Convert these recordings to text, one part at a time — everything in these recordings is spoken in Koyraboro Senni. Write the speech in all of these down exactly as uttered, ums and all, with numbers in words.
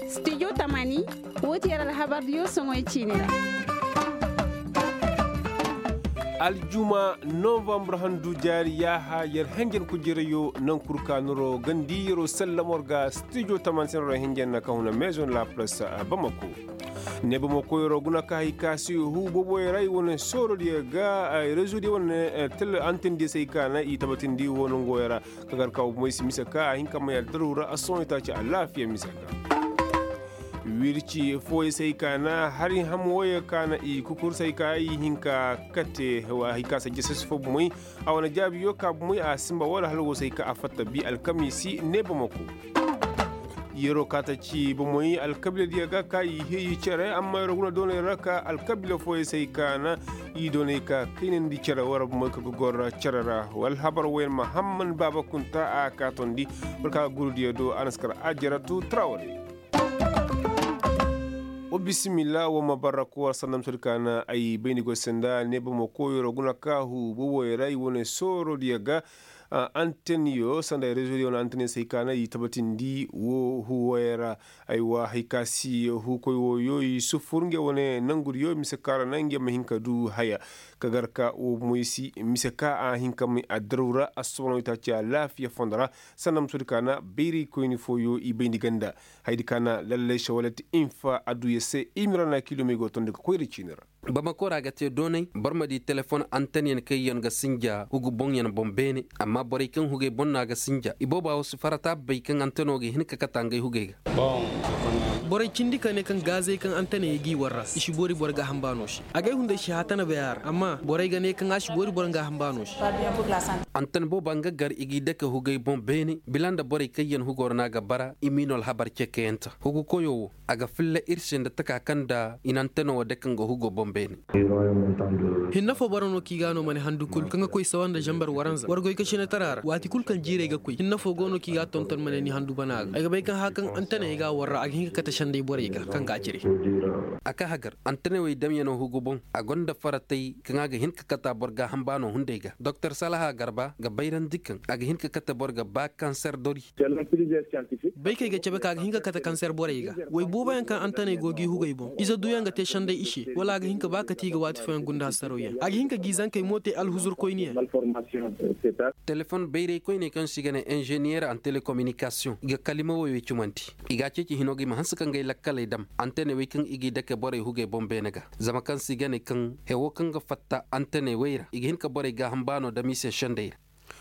Studio tamani, wo ti yer alhabar diyo soŋoy ciini ra. Aljuma novambar handu jaari yaaha yer henjen kujirayo naŋ kul ka noro gandi yeroo sallam war ga studio tamani se noro henjen na ka huna maison la presse bamako. Ne bamako yeroo guna ka hay ka se huu booboyo ra i wane soorodiyo ga rezo diyo wane tel antendiyo se hay ka na i tabatindi wo nongoyo ra. Ka gar ka wo bomoy si mise ka a hin ka may addaru ra a sohõ itaaci alaafiya mise ka wirci fooyey se hay ka na hari ham wooyey ka na i kukur se hay ka i hin ka kate hay ka se jasas fo bomoy. A wane jaabiyo ka bomoy a sinba wala hala wo se hay ka a fatta bi alkamiisi ne bamako. Yeroo ka ta ci bomoy alkabiiladiyo ga ka i heyi cere amma yeroo guna dooney ra ka alkabiila fooyey se hay ka na i dooney ka kaynandi cere wara bomoy ka ga goro cere ra. Alhabar wooyaŋ mahamman baaba kunta a ka tondi. War ka ga gurudiyo do a na si kar ajaratu traware. Wa bisimilla wa ma barra kowa sanda misodi ka na ay bayndi goy sanda ne bamo koyro guna ka hu boboy ra i wane soorodiyo ga. Anteniyo sanda ay rezo diyo wane anteniyo se hay ka na i tabatindi wo hu woyey ra. Aywa hay ka si hu koy woyo i sufur nge wane nangudiyo mise ka ra na nge ma hin ka du haya. Ka gar ka wo moy si mise ka a hin ka may addaru ra a sobono i taaci alaafiya fondo ra. Sanda misodi ka na bayray koyni fooyo i bayndi ganda. Hayadi ka na lallay sawalet infa aduya se i ma ra na kiilomey go tondi ga koyra ciini ra. Bamako ra ga te doonay boro ma di telefon antenyaŋ kaŋyaŋ ga sinja hugu boŋyaŋ boŋ beene. Amma borey kaŋ hugey boŋ no a ga sinja i booba wo si farata bay kaŋ anteno ga hin ka kata ngey hugey ga. Borey cindi ka ne kaŋ gaazey kaŋ anteney g'i warra i si boori boro gaaham baano se. Agay hunday si haatana bay a ra amma borey ga ne kaŋ a si boori boro gaaham baano se. Anten booba nga gar i g'i dake hugey boŋ beene bila nda borey kaŋyaŋ hugo ra no a ga bara i m'i no alhabar cekeyante hugu koyo wo. A ga filla ir se nda taka kaŋ nda i na anteno wo dake nga hugo boŋ beene. Hinne fo boro no kaŋ i ga no ma ne handu kul kaŋ ga koy sawa nda zambar waranza war goy ka sinatara ra waati kul kaŋ jiirey ga koy hinne fo go no kaŋ i ga tonton ma ne ni handu bana ga ay ga bay kaŋ hã kaŋ anteney ga a war ra a ga hin ka kate senday borey ga kaŋ ga a cire. A ka hagar anteney wey damyano hugu boŋ a gonda faratey kaŋ a ga hin ka kata boro gaaham baano hunday ga doktor salaha garba ga bayrandi kaŋ a ga hin ka kate boro ga ba kanser dori. Baykey ga cabe ka a ga hin ka kate kanser borey ga. Way booboyaŋ kaŋ antaney go g'i hugey boŋ ize duyaŋ ga te senday i se wala a ga hin ka ba kate i ga waati fooyaŋ gunda hasarawyaŋ a ga hin ka g'i zankey mo te alhuzurkoyniyaŋ. Telefon bayray koyney kaŋ se i ga ne inzeniyer an telekominikasiyoŋ i ga kalima woy wey cumandi. I ga a ceeci hino ga i ma hanse ka ngey lakkaley dam antaney wey kaŋ i g'i dake borey hugey boŋ beene ga. Zama kaŋ se i ga ne kaŋ hewo kaŋ ga fatta antaney wey ra i ga hin ka borey gaaham baano dam i se senday ra.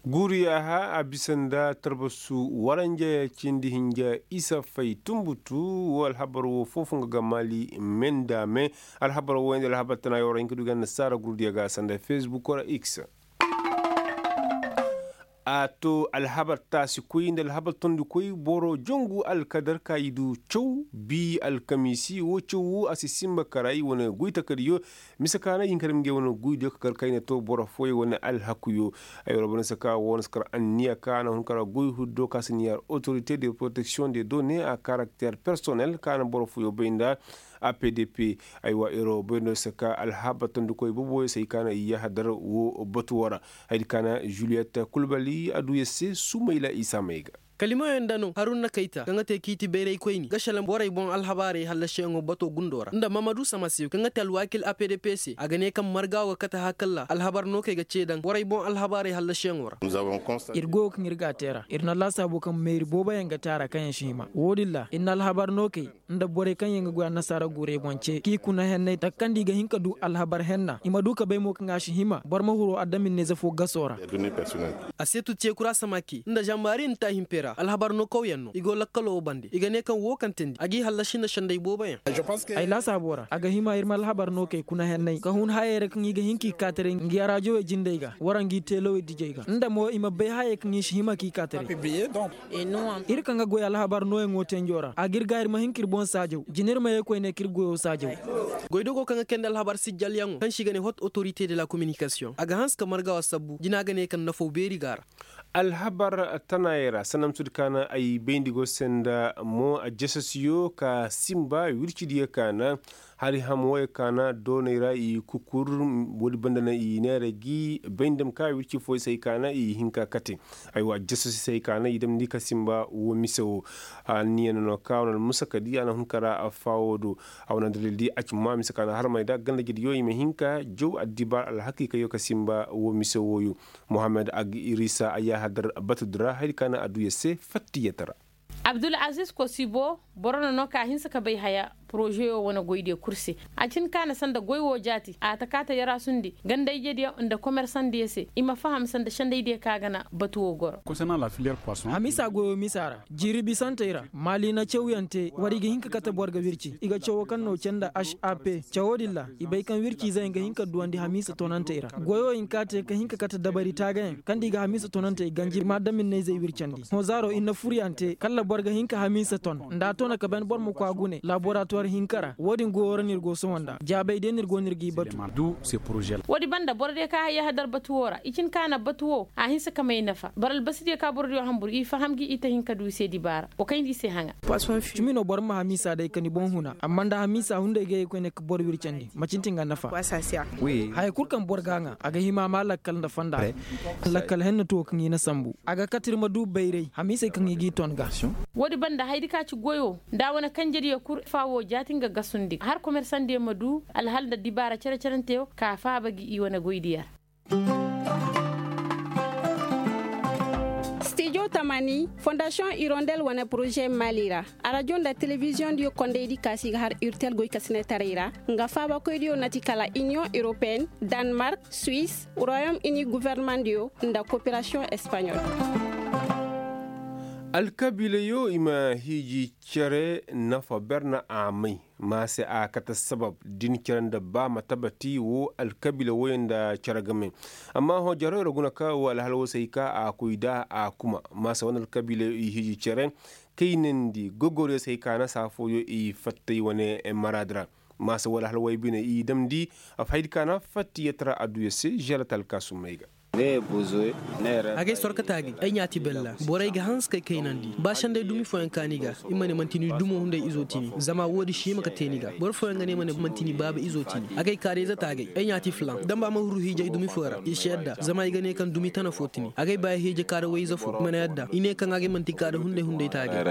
Guuru yaaha a bisa nda tarbasu waranja cindi hinja isa fay tumbutu. Wo alhabar wo foofo nga ga maali me nda me. Alhabar wo nda alhabar tana yawra hinka du ga annasaara gurudiya ga sanda fesbuk ra x. A to alhabar taasi koy nda alhabar tondi koy boro jongu alkadar ka i du caw bi alkamiisi wo caw wo a si simba kara i wane goy takadiyo. Mise ka na i hin ka dam ngey wane goydiyo ka kar kayna to boro fooyaŋ wane alhakuyo. Ay wara boro se ka wo na si kar anniya ka na hun kara goy huddo ka si niyaar autorite de protection de donne a karakter personnel ka na boro fooyaŋ bay nda. A p d p. Aywa ero bayno se ka alhabar tondikoy boboyo se i ka na i yahadar wo batu wara. Hayadi ka na juliyet kulbali aduya se sumayla isa may ga. Kalimoyaŋ nda no harun na kayta kaŋ ga te kiiti bayraykoyni ga salaŋ borey boŋ alhabaarey hallasiyaŋo bato gundo ra nda mamadu samasiyo kaŋ ga te alwaakil a p d p se a ga ne kaŋ marga wo ga kate hakalla alhabar no kaŋ ay ga ce daŋ borey boŋ alhabaarey hallasiyaŋo ra. Ir goyo kaŋ ir ga a te ra ir na laasaabo kaŋ meeri booboyaŋ ga te a ra kaŋ yaŋ si hima wo-din ra ir na alhabar no kay nda borey kaŋ yaŋ ga goy annasaara guurey boŋ ce k'i kuna henney taka kaŋ nda i ga hin ka du alhabar henna i ma du ka bay mo kaŋ a si hima boro ma huru adaminney zafo gaso ra. A seetu ceekura samaki nda zambaari nta himpe ra alhabar no kawyaŋ no i go lakkalo wo bande i ga ne kaŋ wo kaŋ teendi a g'i hallasi nda senday booboyaŋ. Ay laasaabo ra a ga hima ir ma alhabar no kay kuna henney ka hun hayey ra kaŋ i ga hin k'i kaataray ngi araajowey jindey ga wara ngi teelowey dijey ga nda mo i ma bay hayey kaŋ i si hima k'i kaataray. Ir kaŋ ga goy alhabar nooyaŋo tenjo ra a ga ir ga ir ma hin ka ir boŋ saajaw jina ir ma ye koyne ka ir goyo saajaw. Goydogo kaŋ ga kayndi alhabar sijjalyaŋo kaŋ se i ga ne hot autorite de la kominikasiyoŋ a ga hanse ka marga wa sabbu jina ga ne kaŋ nafaw beeri ga a ra. Alhabar tanaayey ra sanamsudi ka na ay bayndi go se nda mo a jasasiyo ka simba wircidiyo ka na. Hari ham wooyey ka na dooney ra i kukur. Woodi banda na i neera gi bay nda ma ka wirci fooyey se hay ka na i hin ka kate. Aywa jasosi se hay ka na i damndi ka simba woo mise woo. Anniya no ka wane almusa ka di a na hun ka ra faawo do. A wane dalil di a ci ma mise ka na harmay da ganda jediyo i ma hin ka jaw addibaar alhakiikayyo ka simba woo mise wooyo. Mohammed ag irisa a yaahadar batu di ra hayadi ka na adduya se fattiyata ra. Abdul aziz kosibo boro no no ka hinsa ka bay haya porozeyo wane goydiyo kul se. A cin ka na sanda goy wo jaati a ta kaata yarasundi ganda ijediyo nda komersandiyo se i ma faham sanda sendaydiyo ka ga na batu wo goro. Hamiisa goyo miisa ra jiiri bisantey ra maali na cawyaŋ te war i ga hin ka kate boro ga wirci i ga cawo kaŋ no cee nda hap. Cawo din ra i bay kaŋ wirci izeyaŋ ga hin ka duwandi hamiisa tonantey ra goyo hinka te ka hin ka kate dabari taagayaŋ kaŋ nda i ga hamiisa tonantey ganji i ma adaminney zey wircandi hõ zaaro ir na furyaŋ te kala boro ga hin ka hamiisa ton nda a tona ka ban boro ma koy a gune laboratuwar hinka ra wo-din goyo ra no ir go sohõ nda jaabay day no ir go no ir g'i batu. Wo-din banda boro day ka hayya hadar batu wo ra i cin ka na batu wo a hinsa ka may nafa boro albasidiyo ka borodiyo hanbur i faham gi i ta hin ka du i se dibaara wa kayndi i se haŋa. Cimi no boro ma hamiisa day ka ni boŋ huna amma nda hamiisa hunday ga ye koyne ka boro wircandi macin ti nga nafa. Haya kul kaŋ boro ga a ŋaa a ga hima a ma lakkal nda fonda ra. Lakkal henna tuwo kaŋ i na sambu a ga kate ir ma du bayray hamiisey kaŋ i g'i ton ga. Woodi banda hayadi ka ci goyo nda a wane kanjediyo kul faawo jaati nga gasundi har komersandiyo ma du alhal nda dibaara cere-cerenteyo ka faaba gi i wane goydiyo ra. Stijo tamani fondasiyoŋ irondel wane poroze mali ra arajo nda telebiziyoŋdiyo kondaydi kaasi ga har urtel goykasinetaray ra nga faabakoydiyo na ti kala iniyoŋ europeen, danmark, suwis, royom ini gofornemandiyo nda koperasiyoŋ espaɲol. Alkabiilayo i ma hiiji cere nafa ber na a may ma se a kate sabab din cere nda ba ma tabati wo alkabiila woyey nda cere game. Amma hõ jaroy ra guna ka wo alhal wo se hay ka a koy da a kuma ma se wane alkabiila i hiiji cere kaynandi gogoriyo se hay ka na saa fooyo i fattay wane maraadi ra. Ma se wo alhal woy bine i damndi a fahaydi ka na fattiyat ra adduya se želat alkaasumey ga. Agay sorkata agay ay ɲaati bella borey ga hanse kay kaynandi ba senday dumi fooyaŋ ka ni ga i ma ne manti ni dumo hunday izo ti ni zama woodi si hima ka te ni ga boro fooyaŋ ga ne ma ne manti ni baaba izo ti ni agay kaarayze ta agay ay ɲaati filaŋ damba ma huru hiijay dumi foo ra i si yadda zama i ga ne kaŋ dumi tana foo ti ni agay ba hiije kaara wayze foo i ma ne yadda i ne kaŋ agay manti kaara hunday hunday ta agay.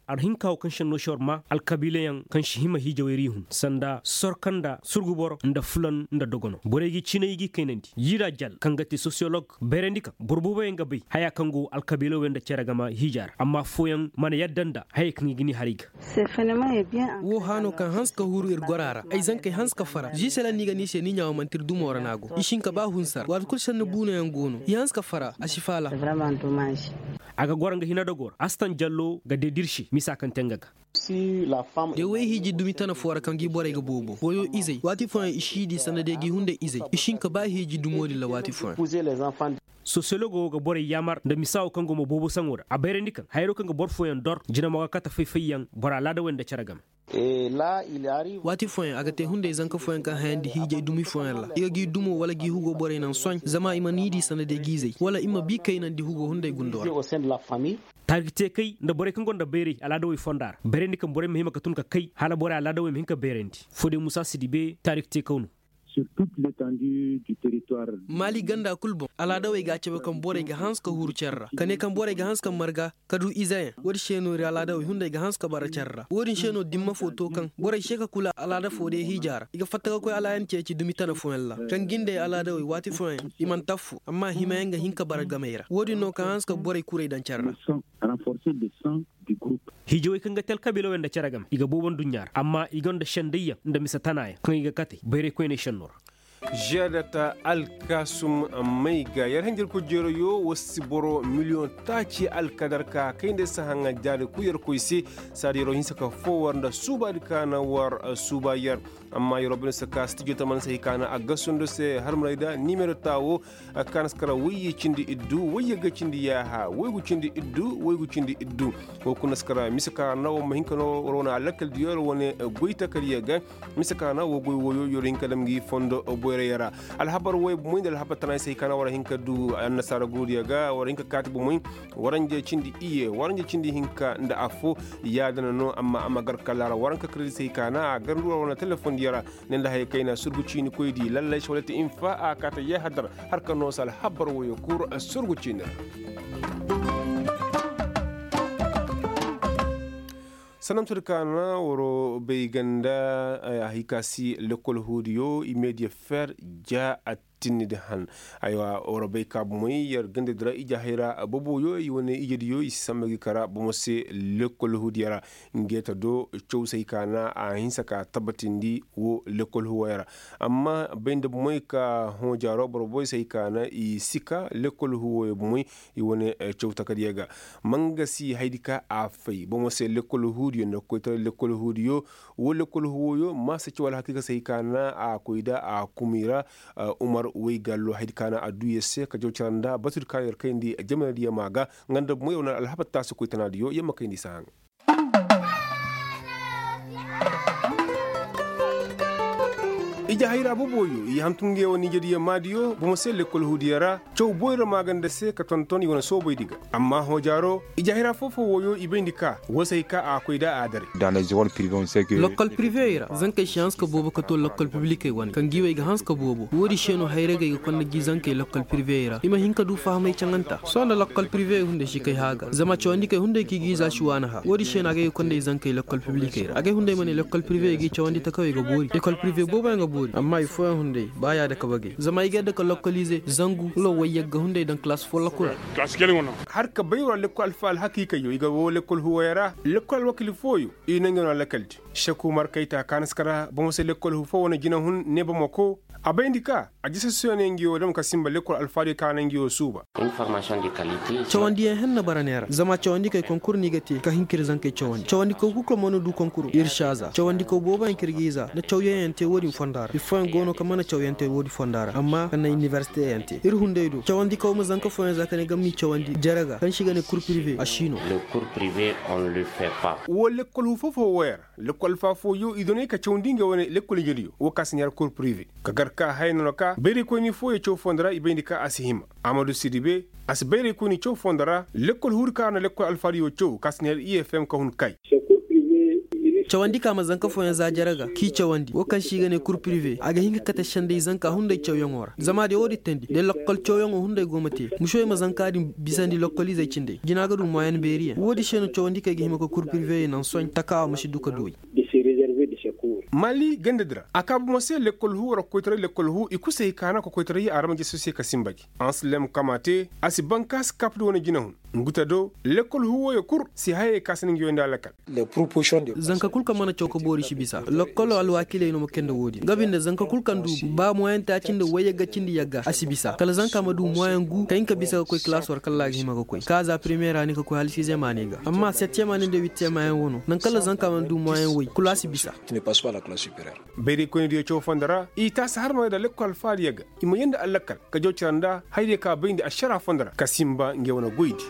Ar hinka wo kaŋ senno si war ma alkabiilayaŋ kaŋ si hima hiijawey ra i hun sanda sorka nda surgu boro nda fulan nda dogono borey ga i ciinay i g'i kaynandi yii ra jal kaŋ ga te sosiyolog bayrandi kaŋ boro booboyaŋ ga bay haya kaŋ go alkabiilawey nda cere game hiija ra amma fooyaŋ mana yadda nda hayey kaŋ i ga ni har i ga. Wo haano kaŋ hanse ka huru ir gora ra ay zankey hanse ka fara ziisela ni ga ni se ni ɲaawo manti ir dumo ra no a go i si hin ka ba hunsa ra waati kul senni buunayaŋ go no i hanse ka fara a si faala. A ga goro nga hina dogoo ra astan jallo ga dedirse misa kaŋ te nga ga. De way hiiji dumi tana foo ra kaŋ gi borey ga boobo goyo izey waati fooyaŋ i si di sanda day gi hunday izey i si hin ka ba hiiji dumo din ra waati fooyaŋ. Sosiyologo wo ga borey yaamar nda misa wo kaŋ go ma boobo saŋo ra a bayrandi kaŋ hayro kaŋ ga boro fooyaŋ dor jina mo ga kate fay-fayyaŋ boro alaadawey nda cere game. Waati fooyaŋ a ga te hunday zanka fooyaŋ kaŋ hayandi hiijay dumi fooyaŋ ra i ga g'i dumo wala g'i hugo borey naŋ soy zama i ma ni di sanda day g'i zay wala i ma bi kaynandi hugo hunday gundo ra. Taarik teekay nda borey kaŋ gonda bayray alaadawey fonda ra bayrandi kaŋ borey ma hima ka tun ka kay hala borey alaadawey ma hin ka bayrandi foodey musa si di bee taarik teekaw no. Maali ganda kul boŋ alaadawey ga a cabe kaŋ borey ga hanse ka huru care ra ka ne kaŋ borey ga hanse ka marga ka du izeyaŋ woodin se no ir alaadawey hunday ga hanse ka bara care ra woodin se no dimma foo to kaŋ borey se ka kula alaada foo day hiija ra i ga fatta ka koy alaayan ceeci dumi tana fooyaŋ ra kaŋ gindey alaadawey waati fooyaŋ i mana taffu amma himayaŋ ga hin ka bara gamey ra woodin no kaŋ hanse ka borey kuray daŋ care ra. Hiijawey kaŋ ga te alkabiilawey nda cere game i ga boobo nduɲɲa ra amma i gonda sendayyaŋ nda mise tanaayaŋ kaŋ i ga kate bayray koyney senno ra. Žeedata alkaasum may ga yer hanjarkoy jeerayo war si boro miliyoŋ taaci alkadar ka kay nda ay si haŋa jaari kul yer koy se. Saadi yeroo hinsa ka foo war nda suubaadi ka na war suuba yer. Amma yeroo bine si ka stijo taman se hay ka na a gasundo se harmarey da nimero taa woo. Kaanaskara wayye cindi iddu wayye ga cindi yaaha waygu cindi iddu waygu cindi iddu. Wo kuna skara mise ka na wo ma hinka no war wane alakkal diyo war wane goy takariya ga. Mise ka na wo goy woyo yor hinka dam gi fondo. Alhabar woy bomoy nda alhabar tana ay se hay ka na war hin ka du annasaara gurudiyo ga war hin ka kaati bomoy. Waranje cindi iyye waranje cindi hinka nda affo. Yaadana no amma a ma gar kalla ra waranka kiredise hay ka na a gar nduura wane telefondiyo ra. Ne nda haya kayna surgu ciini koydi lallay sawalati infa a kaata yahadar. Har ka noosa alhabar woyo kul surgu ciini ra. Sanamtudi ka na waro bay ganda. Hay ka si lekkol huudiyo i meediya fer ja attinnidi han. Aywa waro bay ka bomey yer gandadi ra ije hayra boboyo i wane ijediyo i si samba gi kara bomo se. Lekkol huudiyo ra. Ngeeta do caw se hay ka na a hinsa ka tabbatindi wo lekkol huuwoyo ra. Amma bay nda bomey ka hõ jaaro boro boy se hay ka na i si ka lekkol huuwoyo bomey. I wane caw takadiyo ga. Ma nga si haydi ka a fay bomo se lekkol huudiyo nda koytaray lekkol huudiyo. Wo lekkol huuwoyo ma si caw alhakiika se hay ka na a koy da a kumi ra. Umar woy gallo haydi ka na a duu yer se ka jaw cara nda batudi ka yer kayndi jamanadiyo ma ga. Nga nda bomey yer wane alhabar taasi koytanaadiyo yer ma kayndi saahaŋ. Ije hayra boboyo i hantum nge wane ijediyo maadiyo bomo se lekkol huudiyo ra. Caw boyro maaganda se ka tonton i wane soobaydi ga. Amma hõ jaaro ije hayra foo-foo woyo i bayndi ka woo se hay ka a koy da a daray. Lokkol prive ra zankey si hanse ka boobo ka too lokkol piblikey wane kaŋ gi wey ga hanse ka boobo woodi se no hayragey ga konda gi zankey lokkol prive ra i ma hin ka du fahamay caŋanta sohõ nda lokkol prive hunday si kay hã ga zama cawandikey hunday kaŋ i ga iza si waani hã woodi se no a ga ay ga konda i zankey lokkol piblikey ra a ga ay hunday ma ne lokkol prive i ga i cawandi takawey ga boori lokkol prive booboyaŋ ga boori amma i fooyaŋ hunday ba yaada ka bagey zama ay ga yadda ka lokkolize zangu wala wayyagga hunday daŋ kalaas folloku ra. Har ka bay wala lekkol alfa alhakiikayyo i ga woo lekkol huuwoyo ra lekkol alwakil fooyo i na ngey no alakaldi. Seku markayta kaanaska ra bomo se lekkol huu foo wane jinahun ne bamako. A bayndi ka a jisasiyo ne ngi woo dam ka sinba lekkol alfaadiyo kaana ngi woo suuba. Cawandiyaŋ henna bara neera zama cawandikey konkur no i ga te ka hin ka ir zankey cawandi cawandikey kul kaŋ mana du konkuro ir si a za cawandikey booboyaŋ kaŋ ir ga i za nda cawyaŋ yaŋ te wo-din fonda ra ir fooyaŋ go no kaŋ mana cawyaŋ te wo-din fonda ra amma kaŋ na inibersiteyaŋ te ir hunday do cawandikey ma zanka fooyaŋ za ka ne gam n'i cawandi jere ga kaŋ se i ga ne kur pirive a si no. Woo lekkol huu foo-foo wooyaŋ ra lekkol alfa fooyo i doney ka cawandi ngey wane lekkol ijediyo woo ka si neera kur pirive ka gar ka haya nono ka bayraykoyni fooyo caw fondo ra i bayndi ka a si hima. Amadu sidibe a si bayraykoyni caw fondo ra lekkol huuri ka a na lekkol alfaadiyo caw ka si neera i f m ka hun kay. Cawandi ka ma zanka fooyaŋ za jere ga k'i cawandi woo kaŋ se i ga ne kur pirive a ga hin ka kate senday zanka hunday cawyaŋo ra zama de woo din teendi de lokkol cawyaŋo hunday go ma te musoy ma zanka din bisandi lokkol izey cindey jina ga du moyen beeriyaŋ woo din se no cawandi kaŋ ay ga hima ka kur pirive naŋ sohõ taka a ma si du ka du ay. Mali ganda di ra a kaa bomo se lekkol huu war ga koytaray lekkol huu i kul se hay ka na ka koytaray arama jeso se ka sinba gi ansilem kama te a si bankaasi kap di wane jinahun. Ngu te do lekkol huu wooyo kul si hayey ka si na ngi wayndi alakal. Zanka kul kaŋ mana caw ka boori si bisa lokkolo alwaakiley no ma kay nda woo din nga binde zanka kul kaŋ du ba moyen taaci nda wayyagga cindi yagga a si bisa kala zanka ma du moyen gu ka hin ka bisa ka koy kalaas war kala a ga hima ka koy ka za premiyer a ne ka koy hala siizem a ne ga amma settiyem a ne nda wittiyem a yaŋ wano naŋ kala zanka mana du moyen way kul a si bisa. Bayraykoynidiyo caw fondo ra i taasi harmey da lekkol alfaadiyo ga i ma yee nda allakal ka jaw cara nda hayadiyo ka bayndi ašara fondo ra ka sinba ngey wane goydi.